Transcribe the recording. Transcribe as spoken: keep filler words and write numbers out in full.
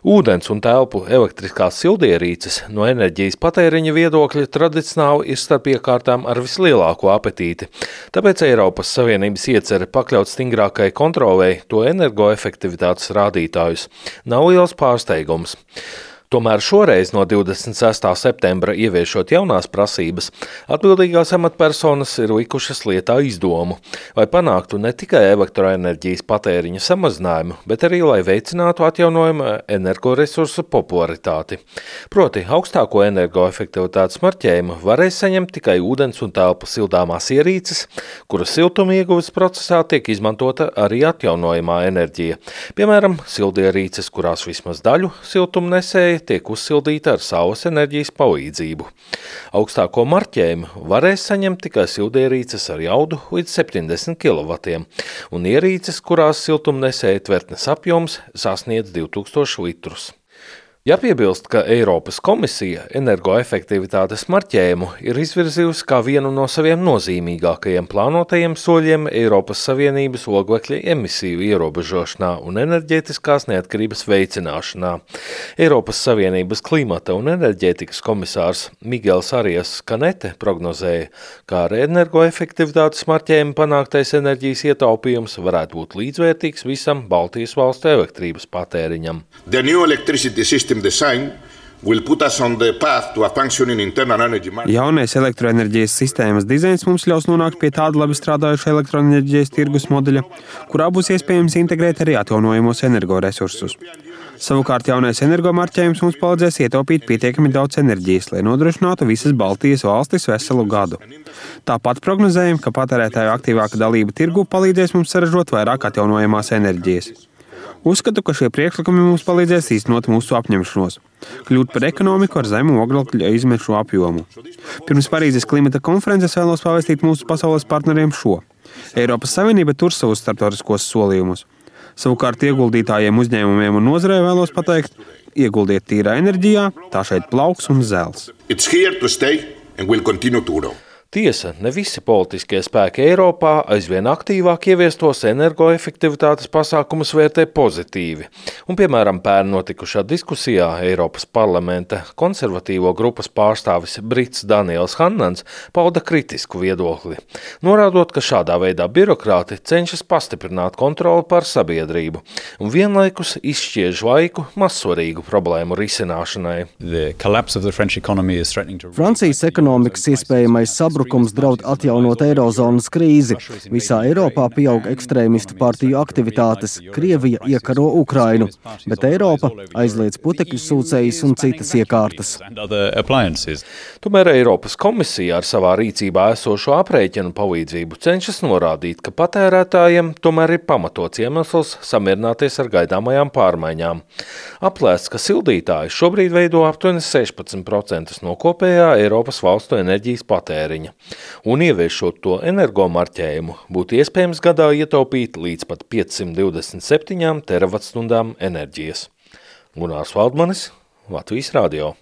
Ūdens un telpu elektriskās sildierīces no enerģijas patēriņa viedokļa tradicionāli ir starp iekārtām ar vislielāko apetīti. Tāpēc Eiropas Savienības iecerē pakļaut stingrākai kontrolei to energoefektivitātes rādītājus nav liels pārsteigums. Tomēr šoreiz no divdesmit sestā septembra ieviešot jaunās prasības, atbildīgās amatpersonas ir likušas lietā izdomu, lai panāktu ne tikai elektroenerģijas patēriņa samazinājumu, bet arī, lai veicinātu atjaunojumu energoresursu popularitāti. Proti, augstāko energoefektivitātes marķējumu varēs saņemt tikai ūdens un telpu sildāmās ierīces, kuras siltuma ieguves procesā tiek izmantota arī atjaunojamā enerģija. Piemēram, sildierīces, kurās vismaz daļu siltumnesēja tiek uzsildīta ar saules enerģijas palīdzību. Augstāko marķējumu varēs saņemt tikai sildierīces ar jaudu līdz septiņdesmit kilovatiem un ierīces, kurās siltumnesēja tvertnes apjoms sasniedz divtūkstoši litrus. Jāpiebilst, ka Eiropas komisija energoefektivitātes marķējumu ir izvirzījusi kā vienu no saviem nozīmīgākajiem plānotajiem soļiem Eiropas Savienības oglekļa emisiju ierobežošanā un enerģētiskās neatkarības veicināšanā. Eiropas Savienības klimata un enerģētikas komisārs Miguels Arias Kanete prognozēja, ka ar energoefektivitātes marķējumu panāktais enerģijas ietaupījums varētu būt līdzvērtīgs visam Baltijas valstu elektrības patēriņam. The new electricity system design will put us on the path to a functioning internal energy market. Jaunais elektroenerģijas sistēmas dizains mums ļaus nonākt pie tāda labi strādājuša elektroenerģijas tirgus modeļa, kurā būs iespējams integrēt arī atjaunojamos energoresursus. Savukārt jaunais energomarķējums mums palīdzēs ietaupīt pietiekami daudz enerģijas, lai nodrošinātu visas Baltijas valstis veselu gadu. Tāpat prognozējam, ka patērētāju aktīvāka dalība tirgu palīdzēs mums saražot vairāk atjaunojamās enerģijas. Uzskatu, ka šie priekšlikumi mums palīdzēs īstenot mūsu apņemšanos, kļūt par ekonomiku ar zemu oglekļa izmešu apjomu. Pirms Parīzes klimata konferences vēlos pavēstīt mūsu pasaules partneriem šo. Eiropas Savienība tur savus starptautiskos solījumus. Savukārt ieguldītājiem, uzņēmumiem un nozarei vēlos pateikt, ieguldiet tīrā enerģijā, tā šeit plauks un zels. It's here to stay and will continue to grow. Tiesa, ne visi politiskie spēki Eiropā aizvien aktīvāk ieviestos energoefektivitātes pasākumus vērtē pozitīvi. Un, piemēram, pērn notikušā diskusijā Eiropas parlamenta konservatīvo grupas pārstāvis Brits Daniels Hannans pauda kritisku viedokli, norādot, ka šādā veidā birokrāti cenšas pastiprināt kontroli pār sabiedrību un vienlaikus izšķiež laiku mazsvarīgu problēmu risināšanai. Francijas ekonomikas iespējamais sabrukums Brukums draud atjaunot eirozonas krīzi. Visā Eiropā pieaug ekstrēmistu partiju aktivitātes. Krievija iekaro Ukrainu, bet Eiropa aizliedz putekļu sūcējus un citas iekārtas. Tomēr Eiropas komisija ar savā rīcībā esošo aprēķinu palīdzību cenšas norādīt, ka patērētājiem tomēr ir pamatots iemesls samierināties ar gaidāmajām pārmaiņām. Aplēsts, ka sildītāji šobrīd veido aptuveni sešpadsmit procentus no kopējā Eiropas valstu enerģijas patēriņa. Un ieviešot to energomarķējumu, būtu iespējams gadā ietaupīt līdz pat piecsimt divdesmit septiņām teravatstundām enerģijas. Gunārs Valdmanis, Latvijas radio.